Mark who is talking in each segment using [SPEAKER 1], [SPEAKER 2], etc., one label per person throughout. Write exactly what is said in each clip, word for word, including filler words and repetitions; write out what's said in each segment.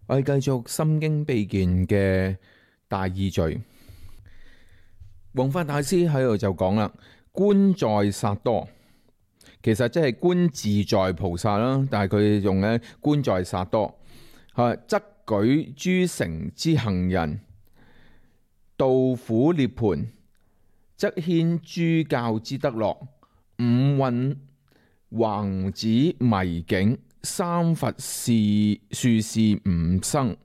[SPEAKER 1] 我哋繼續心經秘鍵嘅大意序。弘法大師喺度就講啦，觀在薩多，其實即係觀自在菩薩啦，但係佢用咧觀在薩多，係則舉諸乘之行人，度苦涅槃，則牽諸教之德樂，五蘊橫指迷境，三佛是樹是吾生。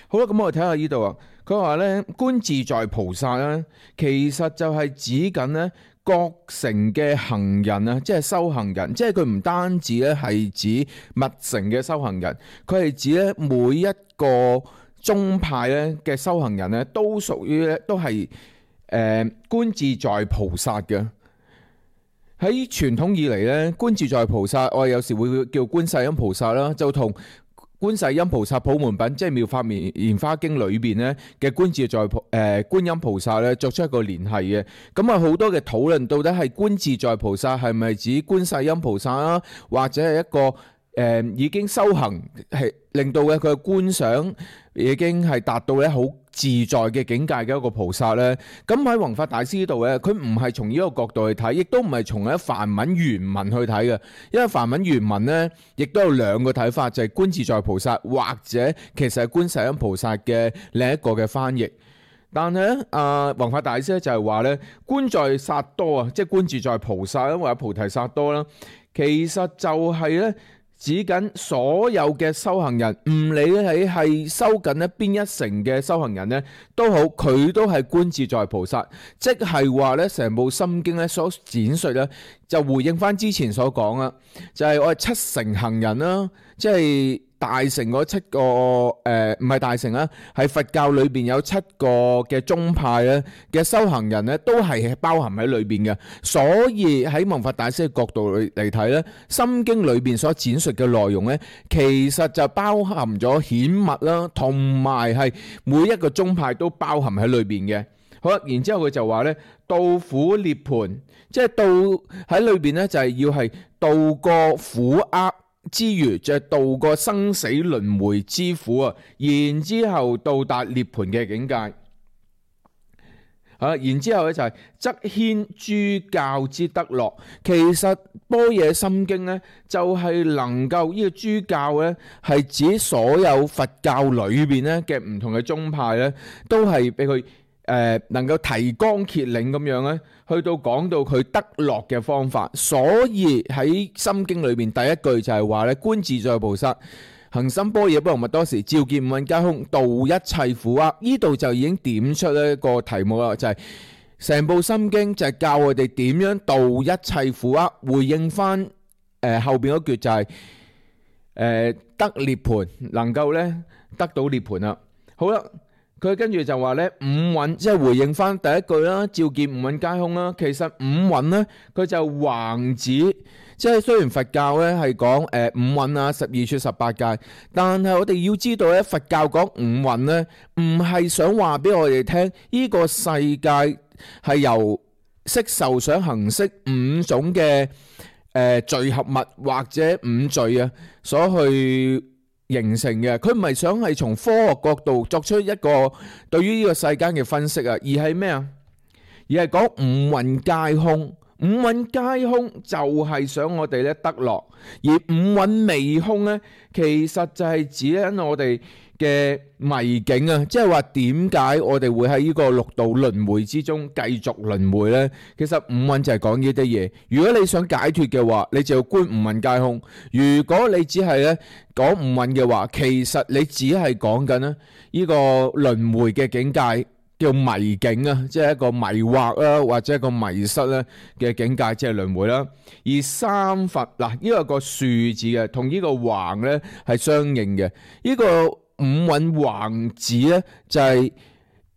[SPEAKER 1] 好啦，咁我哋睇下呢度啊。佢話咧，觀自在菩薩咧，其實就係指緊咧各乘嘅行人啊，即係修行人，即係佢唔單止咧係指密乘嘅修行人，佢係指咧每一個宗派咧嘅修行人咧，都屬於咧都係誒、呃、觀自在菩薩嘅。喺傳統以嚟咧，觀自在菩薩，我哋有時會叫觀世音菩薩啦，就同觀世音菩薩普門品，即係妙法蓮華經裏邊咧嘅觀自在菩誒、呃、觀音菩薩咧，作出一個聯繫嘅。咁啊，好多嘅討論，到底係觀自在菩薩係咪指觀世音菩薩啊，或者係一個誒、呃、已經修行係令到嘅佢嘅觀想已經係達到咧好自在嘅境界嘅一個菩薩咧？咁喺弘法大師呢度咧，佢唔係從呢個角度去睇，亦都唔係從喺梵文原文去睇嘅，因為梵文原文咧亦都有兩個睇法，就係、是、觀自在菩薩或者其實係觀世音菩薩嘅另一個嘅翻譯。但係咧，啊弘法大師咧就係話咧，觀在薩多啊，即係觀自在菩薩啦，或者菩提薩多啦，其實就係咧。指緊所有嘅修行人，唔理你係修緊咧邊一乘嘅修行人咧都好，佢都係觀自在菩薩，即係話咧成部心經咧所展述咧就回應翻之前所講啦，就係、是、我係七乘行人啦，即係大乘嗰七個誒，唔係大乘啊，係佛教裏邊有七個嘅宗派咧嘅修行人咧，都係包含喺裏邊嘅。所以喺弘法大師嘅角度嚟睇咧，《心經》裏邊所展述嘅內容咧，其實就包含咗顯密啦，同埋係每一個宗派都包含喺裏邊嘅。好啦，然之後佢就話咧，度苦涅槃，即係度喺裏邊咧，就係要係度過苦厄之餘，就係度過生死輪迴之苦啊，然之後到達涅槃嘅境界。啊，然之後咧就係則牽諸教之德樂。其實般若心經咧就係能夠呢個諸教咧係指所有佛教裏邊咧嘅唔同嘅宗派咧，都係俾佢誒能夠提綱挈領咁樣咧，去到講到佢得樂嘅方法。所以喺心經裏邊第一句就係話咧，觀自在菩薩行深般若波羅蜜多時，照見五蘊皆空，度一切苦厄。呢度就已經點出一個題目啦，就係、是、成部心經就係教我哋點樣度一切苦厄。回應翻誒、呃、後邊嗰句就係、是、誒、呃、得涅槃，能夠咧得到涅槃啦。好啦。佢跟住就話咧，五蘊即係回應翻第一句啦，照見五蘊皆空啦。其實五蘊咧，佢就橫指，即係雖然佛教咧係講誒五蘊啊、十二處十八界，但係我哋要知道咧，佛教講五蘊咧，唔係想話俾我哋聽，呢個世界係由色受想行識五種嘅誒聚合物或者五罪啊所去形成嘅。佢唔係想係從科學角度作出一個對於呢個世間嘅分析啊，而係咩啊？而係講五蘊皆空，五蘊皆空就係想我哋咧得樂，而五蘊未空咧，其實就係指緊我哋嘅迷境啊，即係話點解我哋會喺呢個六道輪迴之中繼續輪迴呢？其實五蘊就係講呢啲嘢。如果你想解脫嘅話，你就要觀五蘊皆空；如果你只係咧講五蘊嘅話，其實你只係講緊咧呢個輪迴嘅境界，叫迷境啊，即係一個迷惑啦，或者一個迷失咧嘅境界，即係輪迴啦。而三佛嗱，呢個個豎字嘅，同呢個橫咧係相應嘅。呢個五蘊橫指咧就係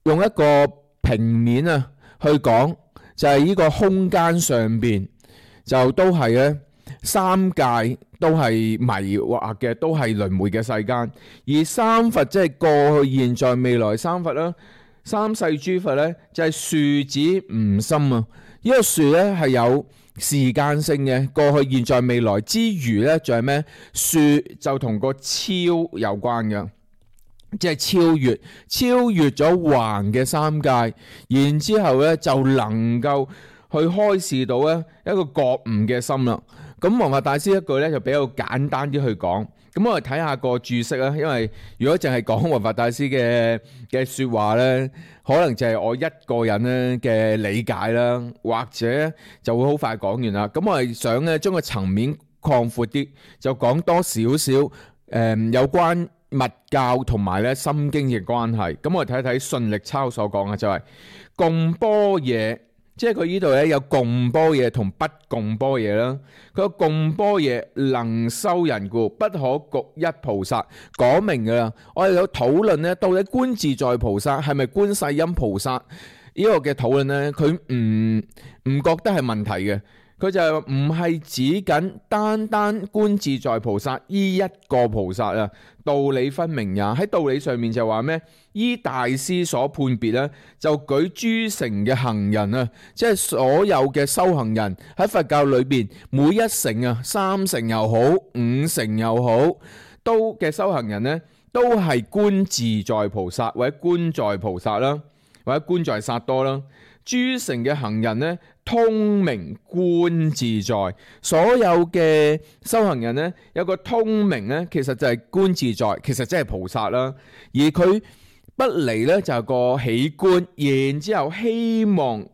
[SPEAKER 1] 用一個平面啊去講，就係呢個空間上邊就都係咧三界都係迷惑嘅，都係輪迴嘅世間。而三佛即係過去、現在、未來三佛啦。三世諸佛咧就係豎指吾心啊！呢個豎咧係有時間性嘅，過去、現在、未來之餘呢，仲係咩？說就同個超有關嘅，即係超越，超越咗橫嘅三界，然之後呢就能夠去開示到呢一個覺悟嘅心啦。咁弘法大師一句呢就比較簡單啲去講。咁我哋睇下個注釋啦，因為如果淨係講弘法大師嘅嘅説話呢，可能就係我一個人咧嘅理解啦，或者就會好快講完啦。咁我係想咧將個層面擴闊啲，就講多少少誒有關密教同埋咧心經嘅關係。咁我哋睇睇順力抄所講嘅就係、是、共般若。即係佢呢度咧有共般若同不共般若啦。佢個共般若能修人故，不可局一菩薩，講明噶啦。我哋有討論咧，到底觀自在菩薩係咪觀世音菩薩呢個嘅討論咧？佢唔唔覺得係問題嘅。佢就唔係指緊單單觀自在菩薩依一個菩薩啊，道理分明也。喺道理上面就話咩？依大師所判別咧，就舉諸乘嘅行人啊，即係所有嘅修行人喺佛教裏邊，每一乘啊，三乘又好，五乘又好，都嘅修行人呢，都係觀自在菩薩或者觀在菩薩啦，或者觀在薩多啦。諸乘嘅行人呢，通明觀自在，所有嘅修行人呢，有個通明呢，其實就係觀自在，其實即係菩薩啦。而佢不離呢，就係個喜觀，然之後希望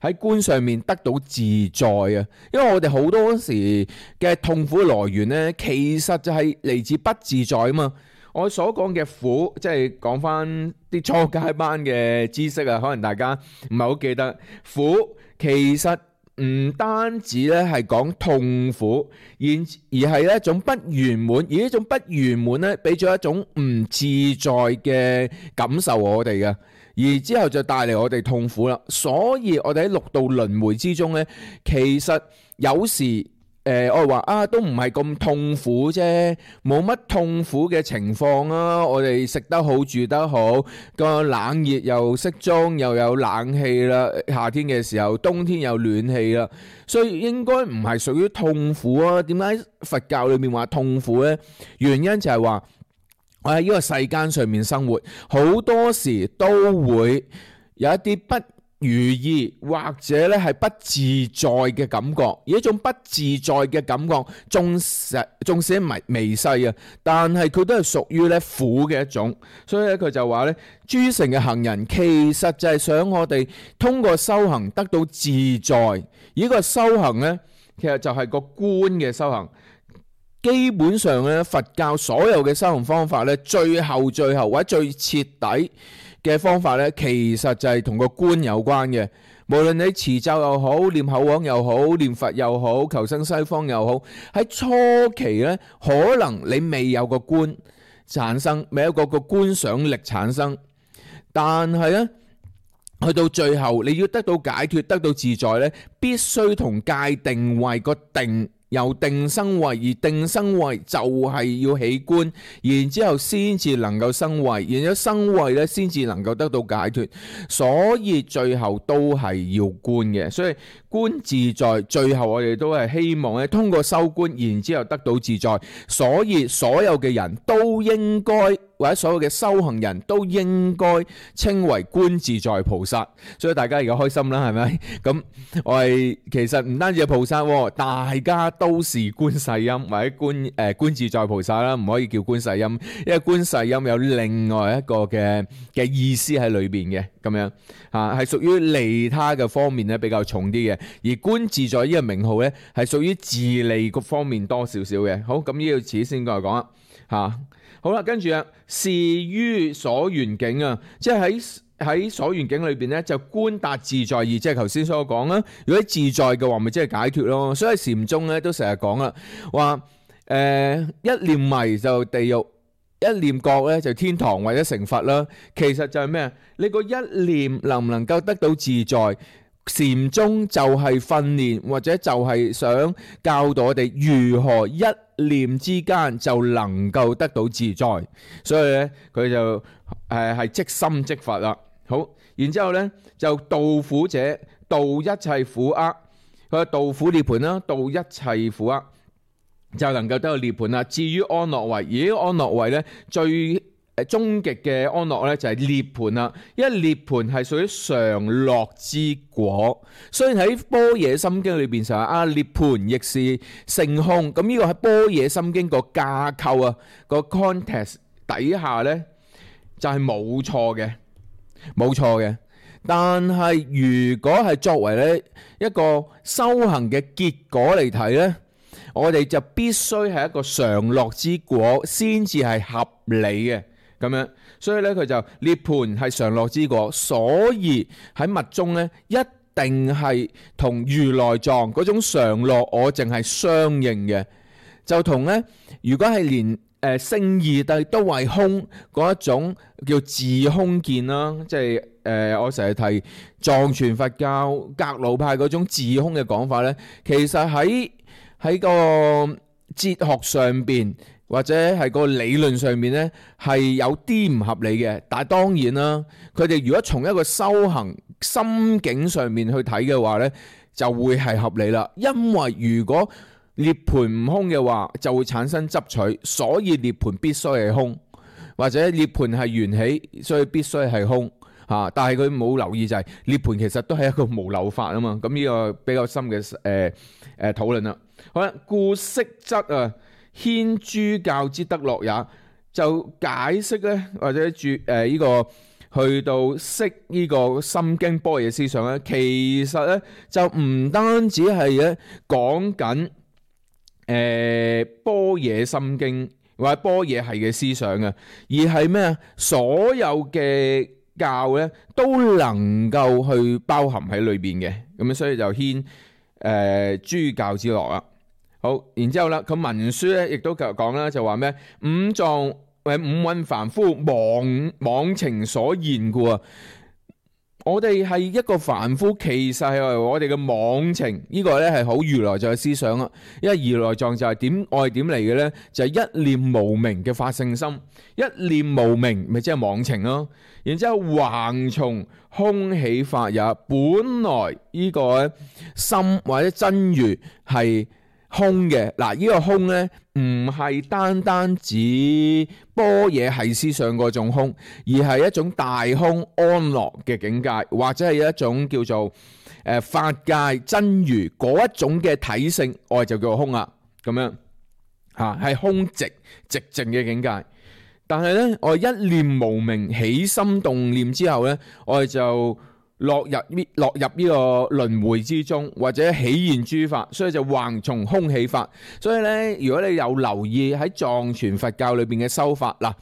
[SPEAKER 1] 喺觀上面得到自在啊。因為我哋好多時嘅痛苦來源呢，其實就係嚟自不自在啊嘛。我所講嘅苦，即係講翻啲初階班嘅知識啊，可能大家唔係好記得。苦其實唔單止咧係講痛苦，而而係一種不圓滿，而呢種不圓滿咧，俾咗一種唔自在嘅感受我哋嘅，而之後就帶嚟我哋痛苦啦。所以我哋喺六道輪迴之中咧，其實有時。誒、呃，我話啊，都唔係咁痛苦啫，冇乜痛苦嘅情況啊。我哋食得好，住得好，個冷熱又適中，又有冷氣啦。夏天嘅時候，冬天有暖氣啦，所以應該唔係屬於痛苦啊。點解佛教裏面話痛苦呢？原因就係話我喺呢個世間上面生活，好多時都會有一啲不如意或者咧係不自在嘅感覺，而一種不自在嘅感覺，縱使縱使微微細啊，但係佢都係屬於咧苦嘅一種。所以咧佢就話咧，諸乘嘅行人其實就係想我哋通過修行得到自在。而呢個修行咧，其實就係個觀嘅修行。基本上咧，佛教所有嘅修行方法咧，最後最後或者最徹底嘅方法咧，其實就係同個觀有關嘅。無論你持咒又好，念口簧又好，念佛又好，求生西方又好，喺初期咧，可能你未有個觀產生，未有個個觀想力產生，但係咧，去到最後你要得到解脫，得到自在咧，必須同界定位個定。由定生慧，而定生慧就係要起觀，然之後先至能夠生慧，然之後生慧咧先至能夠得到解脫，所以最後都係要觀嘅。所以觀自在，最後我哋都係希望咧通過修觀，然之後得到自在。所以所有嘅人都應該，或者所有嘅修行人都應該稱為觀自在菩薩。所以大家而家開心啦，係咪？咁我係其實唔單止係菩薩，大家都是觀世音或者觀誒、呃、觀自在菩薩啦，唔可以叫觀世音，因為觀世音有另外一個嘅嘅意思喺裏邊嘅，咁樣嚇係屬於利他嘅方面咧比較重啲嘅，而觀自在呢個名號咧係屬於自利個方面多少少嘅。好，咁呢個詞先過嚟講啦嚇。好啦，跟住啊，是於所緣境啊，即係喺喺所緣境裏邊咧，就觀達自在義，即係頭先所講啦。如果自在嘅話，咪即係解脫咯。所以禪宗咧都成日講啦，話誒、呃、一念迷就地獄，一念覺咧就天堂或者成佛啦。其實就係咩啊？你個一念能唔能夠得到自在？禪宗就係訓練，或者就係想教導我哋如何一念之間就能夠得到自在。所以咧，佢就誒係即心即佛啦。好，然之後咧就度苦者，度一切苦厄，佢話道苦涅槃啦，度一切苦厄就能夠得到涅槃啦。至於安樂位，而呢個安樂位咧最誒終極嘅安樂咧就係涅槃啦，因為涅槃係屬於常樂之果。雖然喺般若心經裏邊就係啊涅槃亦是性空，咁呢個喺般若心經個架構啊個 context 底下咧就係冇錯嘅，冇錯嘅。但係如果係作為咧一個修行嘅結果嚟睇咧，我哋就必須係一個常樂之果先至係合理嘅。咁樣，所以咧佢就涅槃係常樂之果，所以喺密宗咧一定係同如來藏嗰種常樂我淨係相應嘅，就同咧如果係連誒聖義諦都係空嗰一種叫自空見啦，即係誒我成日提藏傳佛教格魯派嗰種自空嘅講法咧，其實喺喺個哲學上邊，或者係個理論上面呢，係有啲唔合理嘅。但係當然啦，佢哋如果從一個修行心境上面去睇嘅話呢，就會係合理啦。因為如果涅槃唔空嘅話，就會產生執取，所以涅槃必須係空，或者涅槃係緣起，所以必須係空嚇。但係佢冇留意就係涅槃其實都係一個無漏法啊嘛。咁呢個比較深嘅誒誒討論啦。好啦，故識則啊。牽諸教之德樂也，就解釋咧，或者注誒呢個去到識呢個心經般若思想咧，其實咧就唔單止係咧講緊誒般若心經或者般若系嘅思想啊，而係咩啊？所有嘅教咧都能夠去包含喺裏邊嘅，咁樣所以就牽誒諸教之樂啦。好，然之後啦，佢文書咧亦都繼續講啦，就話咩五藏或五蘊凡夫妄妄情所現故啊！我哋係一個凡夫，其實係我哋嘅妄情，呢、這個咧係好如來藏嘅思想啊！因為如來藏就係點愛點嚟嘅咧，就係、是、一念無明嘅發性心，一念無明咪即係妄情咯。然之後橫從空起法也，本來呢個心或者真如係空嘅。嗱，呢個空咧唔係單單指般若系思想嗰種空，而係一種大空安樂嘅境界，或者係一種叫做誒法界真如嗰一種嘅體性，我哋就叫做空啦。咁樣吓係空寂寂靜嘅境界。但係咧，我哋一念無明起心動念之後咧，我哋就落入呢落入呢個輪迴之中，或者起現諸法，所以就橫從空起法。所以咧，如果你有留意喺藏傳佛教裏邊嘅修法嗱，誒、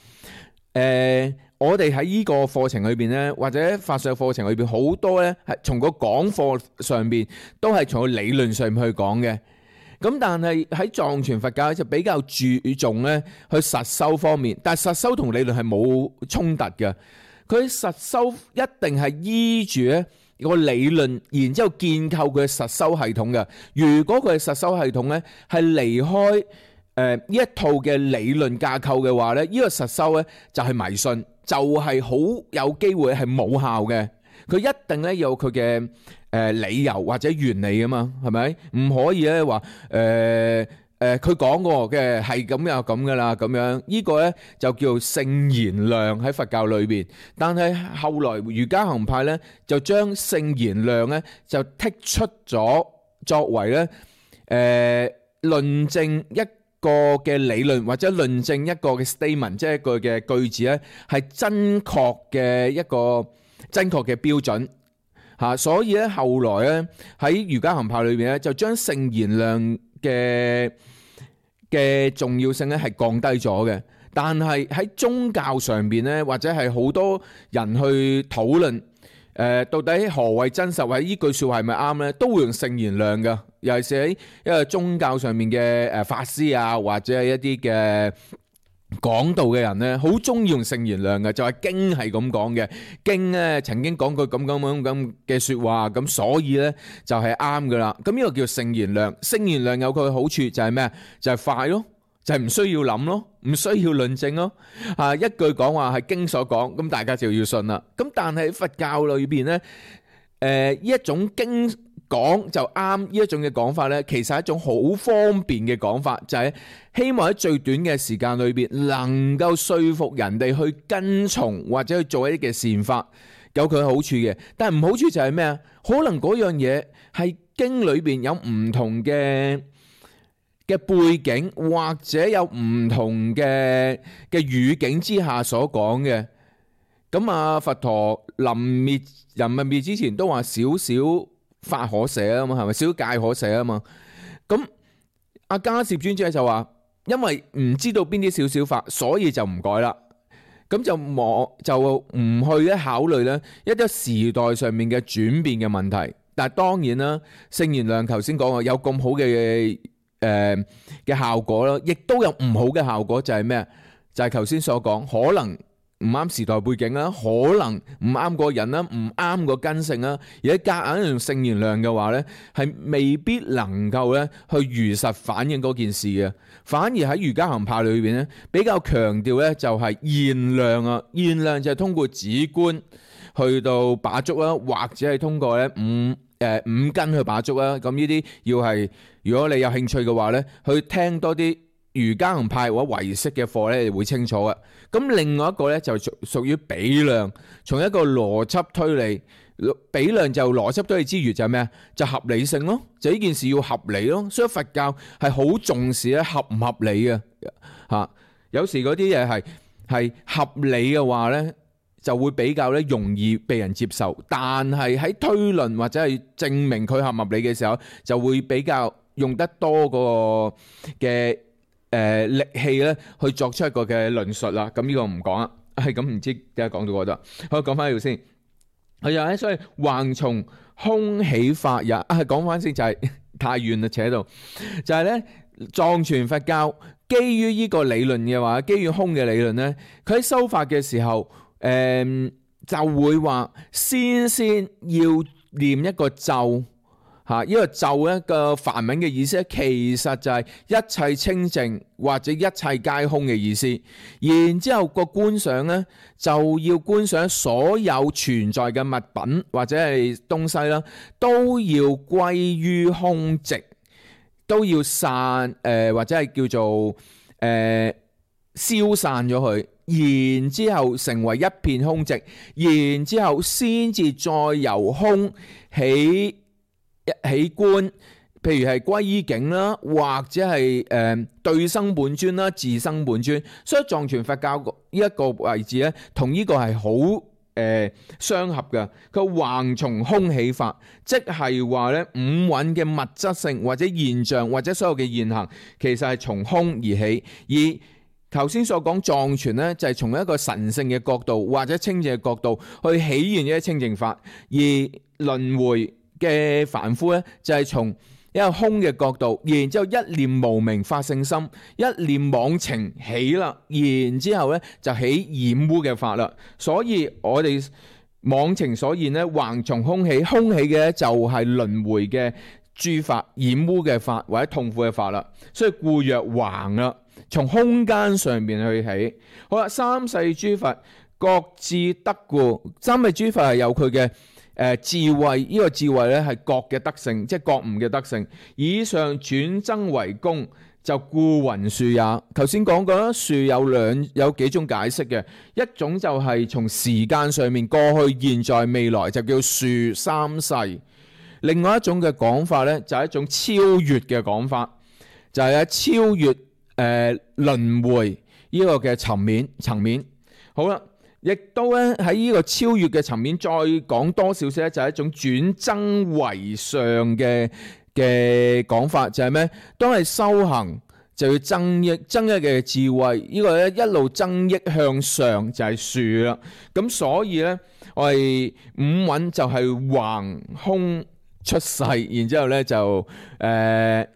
[SPEAKER 1] 呃，我哋喺呢個課程裏邊咧，或者法術課程裏邊好多咧，係從個講課上邊都係從個理論上面去講嘅。咁但係喺藏傳佛教就比較注重咧去實修方面，但係實修同理論係冇衝突嘅。佢實修一定係依住咧個理論，然之後建構佢嘅實修系統嘅。如果佢嘅實修系統咧係離開誒呢一套嘅理論架構嘅話咧，呢個實修咧就係迷信，就係好有機會係冇效嘅。佢一定咧有佢嘅誒理由或者原理啊嘛，係咪？唔可以咧話誒誒佢講過嘅係咁又咁噶啦，咁樣呢個咧就叫聖言量喺佛教裏邊。但係後來瑜伽行派咧就將聖言量咧就剔出咗，作為咧誒論證一個嘅理論或者論證一個嘅 statement， 即係一個嘅句子咧係真確嘅一個真確嘅標準嚇，所以咧後來咧喺瑜伽行派裏邊咧就將聖言量嘅嘅重要性咧係降低咗嘅。但係喺宗教上邊咧，或者係好多人去討論誒到底何謂真實，或者呢句説話係咪啱咧，都會用聖言量嘅。尤其是喺一個宗教上面嘅誒法師啊，或者係一啲嘅講道嘅人咧，好中意用聖言量嘅，就係經係咁講嘅，經咧曾經講過咁咁咁咁嘅説話，咁所以咧就係啱噶啦。咁呢個叫聖言量，聖言量有佢嘅好處就係咩啊？就係快咯，就係唔需要諗咯，唔需要論證咯。啊，一句講話係經所講，咁大家就要信啦。咁但係喺佛教裏邊咧，誒呢一種經講就啱呢一種嘅講法呢，其實係一種好方便嘅講法，就係希望喺最短嘅時間裏邊能夠說服人哋去跟從或者去做一啲嘅善法，有佢好處嘅。但係唔好處就係咩啊？可能嗰樣嘢係經裏邊有唔同嘅嘅背景，或者有唔同嘅嘅語境之下所講嘅。咁啊，佛陀臨滅人滅滅之前都話少少法可捨啊嘛，係咪？少少戒可捨啊嘛。咁阿迦葉尊者就話，因為唔知道邊啲少少法，所以就唔改啦。咁就冇就唔去咧考慮咧一啲時代上面嘅轉變嘅問題。但係當然啦，聖賢良頭先講話有咁好嘅誒嘅效果啦，亦都有唔好嘅效果，就係咩？就係頭先所講，可能唔啱時代背景啦，可能唔啱個人啦，唔啱個根性啦，而喺夾硬用聖賢良嘅話咧，係未必能夠咧去如實反映嗰件事嘅。反而喺瑜伽行派裏邊咧，比較強調咧就係現量啊，現量就係通過止觀去到把觸啦，或者係通過咧五誒、呃、五根去把觸啦。咁呢啲要係如果你有興趣嘅話咧，去聽多啲瑜伽行派或者唯識嘅課咧，你會清楚嘅。咁另外一個咧就屬於比量，從一個邏輯推理。比量就邏輯推理之餘就係咩啊？就合理性咯，就呢件事要合理咯。所以佛教係好重視咧合唔合理嘅嚇。有時嗰啲嘢係係合理嘅話咧，就會比較咧容易被人接受。但係喺推論或者係證明佢合唔合理嘅時候，就會比較用得多個嘅誒力氣咧去作出一個嘅論述啦。咁呢個唔講啦，係咁唔知點解講到嗰度。好，講翻呢度先。係啊，所以橫從空起法也。啊，講翻先就係太遠啦，扯到就係咧藏傳佛教基於呢個理論嘅話，基於空嘅理論咧，佢喺修法嘅時候，誒、呃、就會話先先要念一個咒嚇，呢、這個咒咧個梵文嘅意思咧，其實就係一切清淨或者一切皆空嘅意思。然之後個觀想咧，就要觀想所有存在嘅物品或者係東西啦，都要歸於空寂，都要散誒、呃、或者係叫做誒、呃、消散咗佢。然之後成為一片空寂，然之後先至再由空起。一起觀，譬如係歸依境啦，或者係誒、呃、對生本尊啦，自生本尊。所以藏傳佛教呢一個位置咧，同呢個係好誒相合嘅。佢橫從空起法，即係話咧五蘊嘅物質性或者現象或者所有嘅現行，其實係從空而起。而頭先所講藏傳咧，就係從一個神聖嘅角度或者清淨嘅角度去起現一啲清淨法，而輪迴嘅凡夫咧，就係從一個空嘅角度，然之後一念無明發聖心，一念妄情起啦，然之後咧就起染污嘅法啦。所以我哋妄情所現咧，橫從空起，空起嘅就係輪迴嘅諸法、染污嘅法或者痛苦嘅法啦。所以故曰橫啦，從空間上面去起。好啦，三世諸佛各自得故，三世諸佛係有佢嘅。誒、呃、智慧，呢、這個智慧咧係覺嘅德性，即係覺悟嘅德性。以上轉增為功，就故云樹也。頭先講過啦，樹有兩有幾種解釋嘅，一種就係從時間上面過去、現在、未來，就叫樹三世。另外一種嘅講法咧，就係一種超越嘅講法，就係、是、咧超越誒、呃、輪迴呢個嘅層面層面。好啦。亦都咧喺呢個超越嘅層面再講多少少咧，就係一種轉增為上嘅嘅講法，就係咩？當係修行就要增益增益嘅智慧，呢個咧一路增益向上就係樹啦。咁所以咧，我哋五蘊就係橫空出世，然之後咧就誒、呃、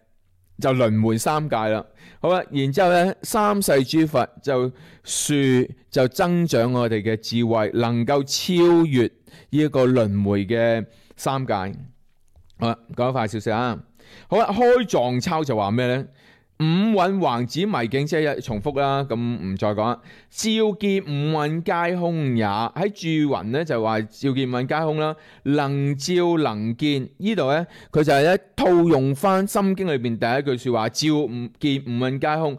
[SPEAKER 1] 就輪迴三界啦。好啦，然之後咧，三世諸佛就樹就增長我哋嘅智慧，能夠超越呢一個輪迴嘅三界。好啦，講得快少少啊。好啦，開藏抄就話咩咧？五蘊橫指迷境，即係一重複啦，咁唔再講啦。照見五蘊皆空也，喺注雲咧就話照見五蘊皆空啦。能照能見呢度咧，佢就係咧套用翻《心經》裏邊第一句說話，照五見五蘊皆空。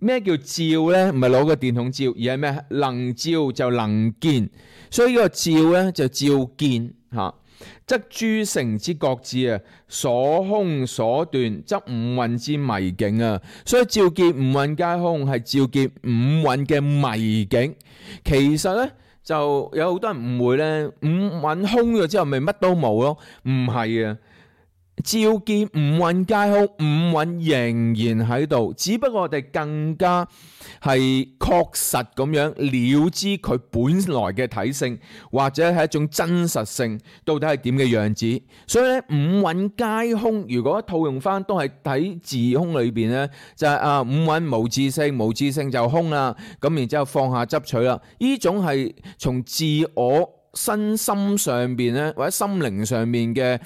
[SPEAKER 1] 咩叫照咧？唔係攞個電筒照，而係咩？能照就能見，所以呢個照咧就照見吓。則諸乘之覺智啊，所空所斷，則五蘊之迷境啊。所以照見五蘊皆空係照見五蘊嘅迷境。其實咧就有好多人誤會咧，五蘊空咗之後咪乜都冇咯？唔係啊。照見五蘊皆空，五蘊仍然喺度，只不過我哋更加係確實咁樣了知佢本來嘅體性，或者係一種真實性，到底係點嘅樣子。所以咧，五蘊皆空，如果套用翻都係睇自空裏邊咧，就係、是、啊五蘊無自性，無自性就空啦。咁然之後放下執取啦，呢種係從自我身心上邊咧，或者心靈上面嘅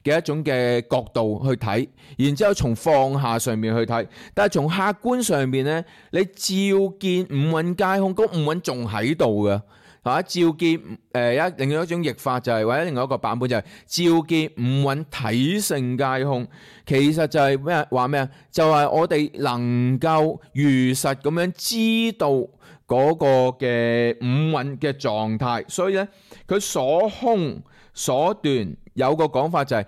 [SPEAKER 1] 嘅一種嘅角度去睇，然之後從放下上面去睇，但係從客觀上邊咧，你照見五蘊皆空，嗰五蘊仲喺度嘅，吓，照見誒一、呃、另外一種譯法就係、是，或者另外一個版本就係、是、照見五蘊體性皆空，其實就係咩話咩啊？就係、是、我哋能夠如實咁樣知道嗰個嘅五蘊嘅狀態，所以咧佢所空所斷有個講法就係、是、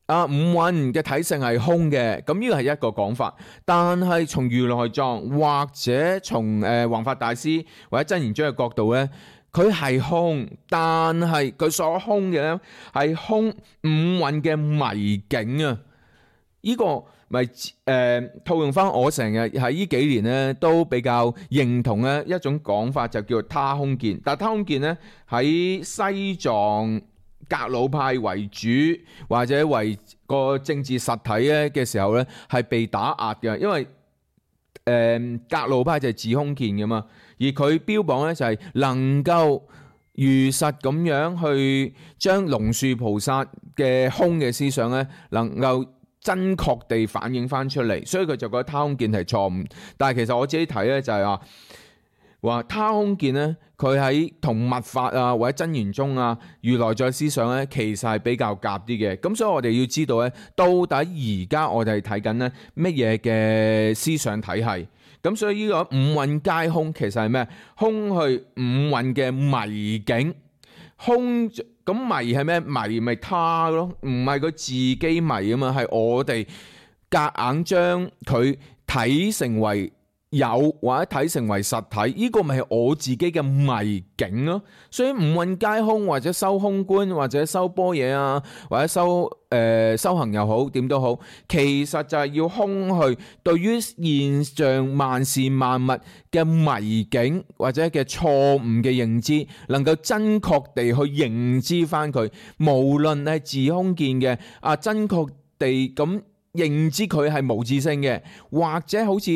[SPEAKER 1] 啊五蘊嘅體性係空嘅，咁呢個係一個講法。但係從如來藏或者從誒弘法大師或者真言宗嘅角度咧，佢係空，但係佢所空嘅咧係空五蘊嘅迷境啊！呢、這個咪誒、呃、套用翻我成日喺呢幾年咧都比較認同咧一種講法，就叫做他空見。但係他空見咧喺西藏格魯派為主或者為個政治實體咧嘅時候咧係被打壓嘅，因為誒、呃、格魯派就係自空見嘅嘛，而佢標榜咧就係能夠如實咁樣去將龍樹菩薩嘅空嘅思想咧能夠真確地反映翻出嚟，所以佢就覺得他空見係錯誤。但係其實我自己睇咧就係話話他空見咧，佢喺同密法啊或者真言宗啊如來藏思想咧，其實係比較夾啲嘅。咁所以我哋要知道咧，到底而家我哋係睇緊咧乜嘢嘅思想體系。咁所以呢個五蘊皆空其實係咩？空去五蘊嘅迷境，空。咁迷係咩？迷咪他咯，唔係佢自己迷啊嘛，係我哋夾硬將佢睇成為有或者睇成為實體，呢、這個咪係我自己嘅迷境咯。所以五蘊皆空，或者修空觀，或者修般若啊，或者修誒、呃、修行又好，點都好，其實就係要空去對於現象萬事萬物嘅迷境或者嘅錯誤嘅認知，能夠真確地去認知翻佢，無論係自空見嘅啊，真確地咁認知佢係無自性嘅，或者好似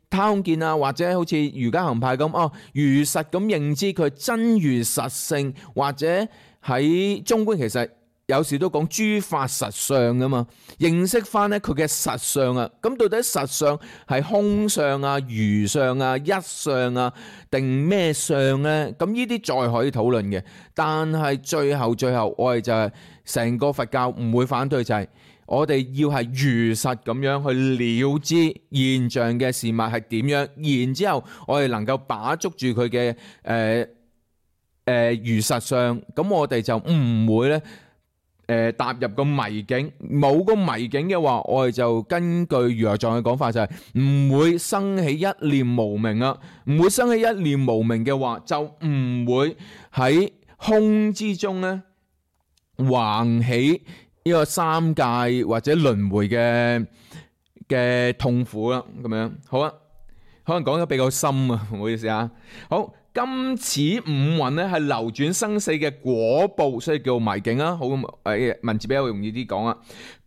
[SPEAKER 1] 他空見啊，或者好似瑜伽行派咁哦，如實咁認知佢真如實性，或者喺中觀其實有時都講諸法實相噶嘛，認識翻咧佢嘅實相啊，咁到底實相係空相啊、如相啊、一相啊定咩相咧？咁呢啲再可以討論嘅，但係最後最後我哋就係、是、成個佛教唔會反對就係、是。我哋要係如實咁樣去了知現象嘅事物係點樣，然之後我哋能夠把捉住佢嘅誒誒如實相，咁我哋就唔會咧誒、呃、踏入個迷境。冇個迷境嘅話，我哋就根據如來藏嘅講法就係、是、唔會生起一念無明啊，唔會生起一念無明嘅話，就唔會喺空之中咧橫起呢個三界或者輪迴嘅嘅痛苦啦，咁樣好啊，可能講得比較深啊，唔好意思啊。好，今此五蘊咧係流轉生死嘅果報，所以叫迷境啊。好，誒文字比較容易啲講啊。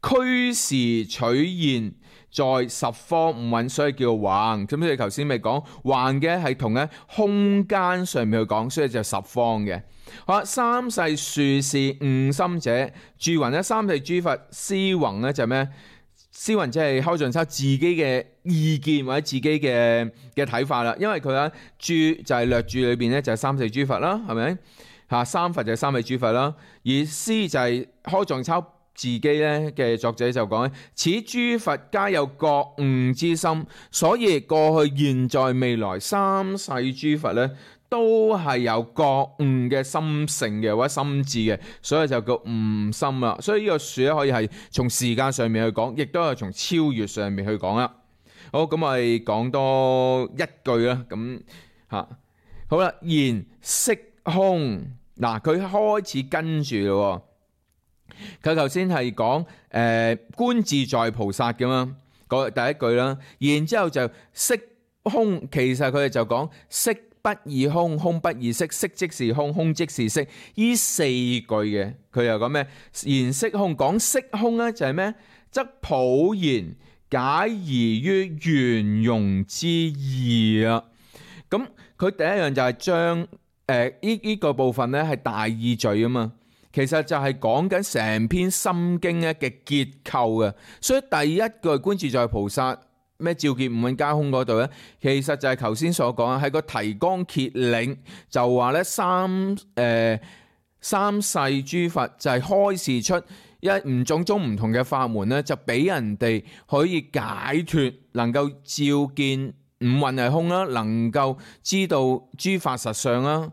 [SPEAKER 1] 俱時取現在十方五蘊，所以叫橫。咁所以頭先咪講橫嘅係同喺空間上面去講，所以就十方嘅。好啦，三世殊事悟心者，住云咧三世諸佛思宏咧就咩？詩雲即係開盡抄自己嘅意見或者自己嘅嘅睇法啦，因為佢喺注就係略注裏邊咧就係三世諸佛啦，係咪嚇？三佛就係三位諸佛啦，而詩就係開盡抄自己咧嘅作者就講咧，此諸佛皆有覺悟之心，所以過去現在未來三世諸佛咧都係有覺悟嘅心性嘅或者心智嘅，所以就叫悟心啦。所以呢個樹咧可以係從時間上面去講，亦都係從超越上面去講啦。好，咁我哋講多一句啦。咁嚇好啦，言色空嗱，佢開始跟住咯。佢頭先係講誒觀自在菩薩嘅嘛，嗰第一句啦，然之後就色空，其實佢哋就講色不異空，空不異色，色即是空，空即是色，呢四句嘅佢又講咩？言色空，講色空咧就係咩？則普賢解疑於圓融之義啊！咁佢第一樣就係將誒呢呢個部分咧係大意序啊嘛。其實就係講緊成篇心經咧嘅結構嘅，所以第一句觀自在菩薩咩照見五蘊皆空嗰度咧，其實就係頭先所講，係個提綱挈領，就話咧三誒、呃、三世諸佛就係開示出一唔種種唔同嘅法門咧，就俾人哋可以解脫，能夠照見五蘊係空啦，能夠知道諸法實相啦。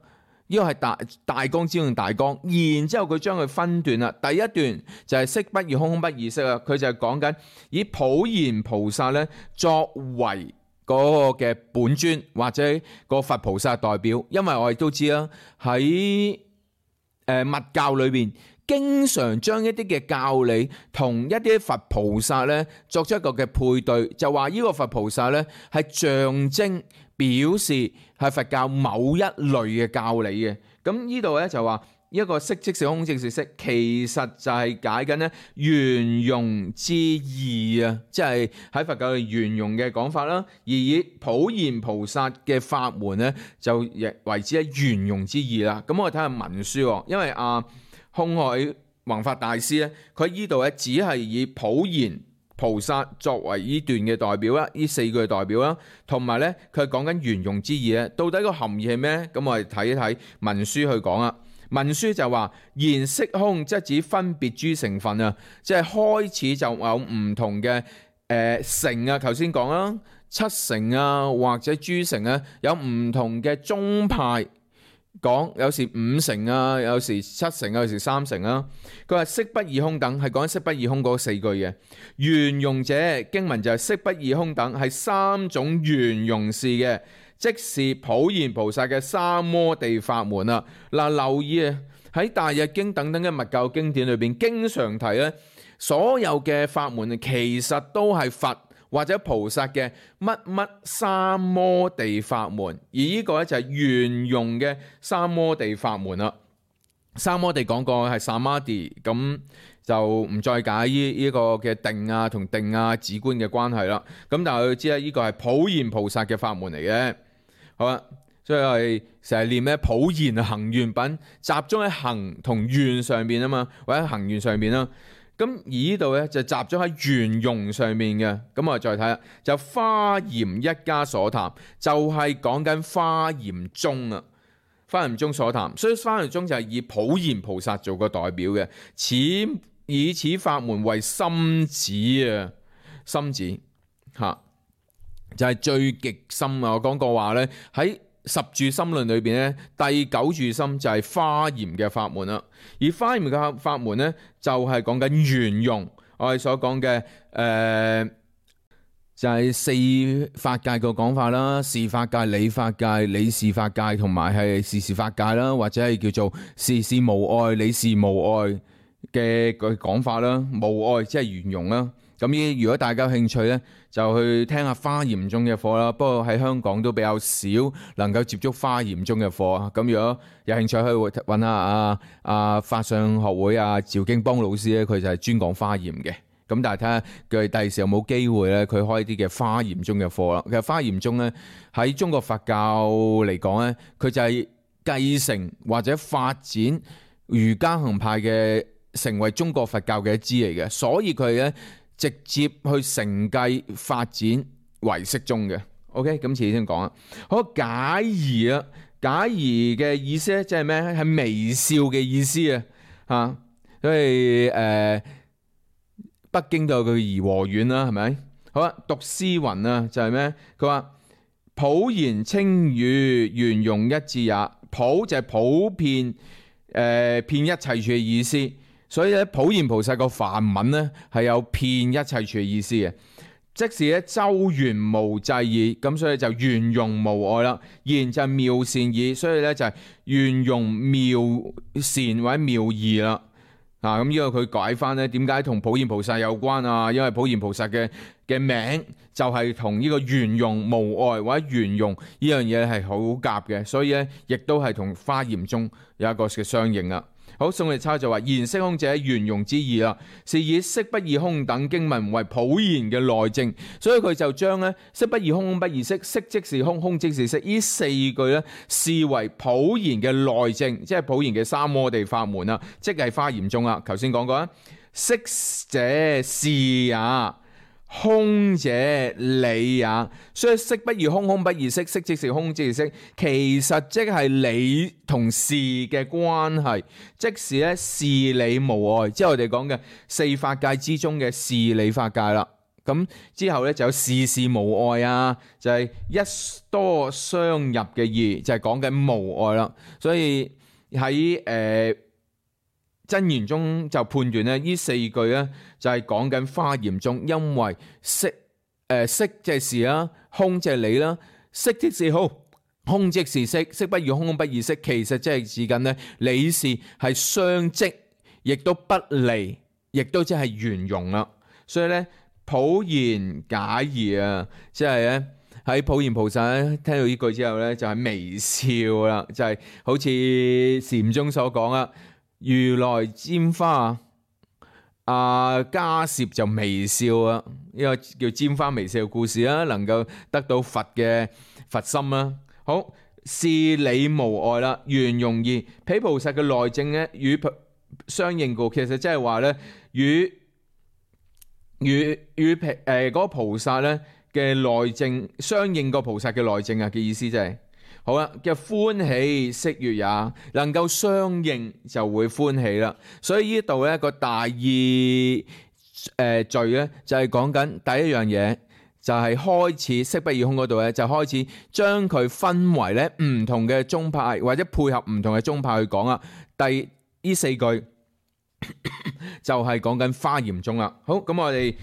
[SPEAKER 1] 呢個係大大綱之中大綱，然之後佢將佢分段啦。第一段就係色不異空，空不異色啊。佢就係講緊以普賢菩薩咧作為嗰個嘅本尊或者個佛菩薩代表，因為我哋都知啦，喺誒密教裏邊經常將一啲嘅教理同一啲佛菩薩咧作出一個嘅配對，就話呢個佛菩薩咧係象徵表示係佛教某一類嘅教理嘅。咁呢度咧就話一個色即是空即是色，其實就係解緊咧圓融之義啊，即係喺佛教嘅圓融嘅講法啦。而以普賢菩薩嘅法門咧就亦為之係圓融之義啦。咁我哋睇下文書，因為啊空海弘法大師咧，佢喺呢度咧只係以普賢菩薩作為呢段嘅代表啦，呢四句嘅代表啦，同埋咧佢係講緊圓融之義咧，到底個含義係咩？咁我哋睇一睇文書去講啦。文書就話言色空，即係指分別諸成分啊，即係開始就有唔同嘅誒乘啊，頭先講啦，七乘啊或者諸乘啊，有唔同嘅宗派。講有時五乘啊，有時七乘啊，有時三乘啊。佢話色不異空等係講色不異空嗰四句嘅圓融者，經文就係色不異空等係三種圓融事嘅，即是普賢菩薩嘅三摩地法門啦。嗱，留意啊，喺大日經等等嘅密教經典裏邊，經常提咧，所有嘅法門其實都係佛或者菩薩嘅乜乜三摩地法門，而呢個咧就係圓融嘅三摩地法門啦。三摩地講過係 Samadhi， 咁就唔再解呢呢個嘅定啊同定啊止觀嘅關係啦。咁但係佢知咧，呢個係普賢菩薩嘅法門嚟嘅。好啦，所以我哋成日念咧普賢行願品，集中喺行同願上邊啊嘛，或者行願上邊啦。咁而呢度咧就集中喺圓融上面嘅，咁我哋再睇下，就華嚴一家所談，就係講緊華嚴宗啊，華嚴宗所談，所以華嚴宗就係以普賢菩薩做個代表嘅，此以此法門為深旨啊，深旨吓就係、是、最極深啊！我講過話咧喺十住心論裏邊咧，第九住心就係華嚴嘅法門啦。而華嚴嘅法門咧，就係講緊圓融。我哋所講嘅誒，就係、是、四法界個講法啦，事法界、理法界、理事法界，同埋係事事法界啦，或者係叫做事事無礙、理事無礙嘅個講法啦。無礙即係圓融啦。咁呢，如果大家有興趣咧，就去聽下華嚴宗嘅課啦。不過喺香港都比較少能夠接觸華嚴宗嘅課啊。咁如果有興趣，可以揾下啊啊法相學會啊趙經邦老師咧，佢就係專講華嚴嘅。咁但係睇下佢第時有冇機會咧，佢開啲嘅華嚴宗嘅課啦。其實華嚴宗咧喺中國佛教嚟講咧，佢就係繼承或者發展瑜伽行派嘅，成為中國佛教嘅一支嚟嘅，所以佢咧直接去承繼發展為適中嘅。OK， 咁遲啲先講啦。好，解疑啊，解疑嘅意思咧，即係咩？係微笑嘅意思啊，嚇。所以誒、呃，北京都有個頤和園啦，係咪？好啦，讀詩云啊，就係咩？佢話普賢清語，圓融一致也。普就係普遍，誒、呃，遍一切處嘅意思。所以咧，普賢菩薩個梵文咧係有遍一切處嘅意思嘅。即是咧周圓無際矣，咁所以就圓融無礙啦。賢就係妙善矣，所以咧就係圓融妙善或者妙義啦。啊，咁呢個佢解翻咧，點解同普賢菩薩有關啊？因為普賢菩薩嘅嘅名就係同呢個圓融無礙或者圓融呢樣嘢係好夾嘅，所以咧亦都係同華嚴宗有一個嘅相應啊。好，宋力差就話言色空者圓融之意啦，是以色不異空等經文為普賢嘅內證，所以佢就將咧色不異空，空不異色，色即是空，空即是色，呢四句咧視為普賢嘅內證，即係普賢嘅三摩地法門啦，即係華嚴宗啦。頭先講過啦，色者是也，空者理也，所以色不異空，空不異色，色即是空，即是色，其實即係理同事嘅關係，即是咧事理無礙，即係我哋講嘅四法界之中嘅事理法界啦。咁之後咧就有事事無礙啊，就係、是、一多相入嘅義，就係講緊無礙啦。所以喺誒真言中就判斷咧，呢四句咧就係講緊華嚴宗，因為色誒色即係事啦，空即係理啦，色即是空，空即是色，色不異空，空不異色，其實即係指緊咧理事係相即，亦都不離，亦都即係圓融啦。所以咧普賢解疑啊，即係咧喺普賢菩薩咧聽到呢句之後咧就係微笑啦，就係、是、好似禪宗所講啦。如來拈花，啊迦葉就微笑啊，呢個叫拈花微笑嘅故事啦，能夠得到佛嘅佛心啦。好，事理無礙啦，圓融義，彼菩薩嘅內證咧與相應故，其實即係話咧與與與誒嗰個菩薩咧嘅內證相應個菩薩嘅內證啊嘅意思即係。好啦，嘅歡喜識悅也，能夠相應就會歡喜啦。所以呢度咧個大意誒序咧就係講緊第一樣嘢，就係、是、開始色不異空嗰度咧就開始將佢分為咧唔同嘅宗派或者配合唔同嘅宗派去講啊。第呢四句就係講緊華嚴宗啦。好，咁我哋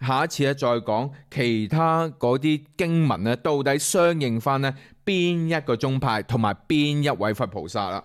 [SPEAKER 1] 下一次咧再講其他嗰啲經文咧到底相應翻咧邊一個宗派同埋邊一位佛菩薩啦。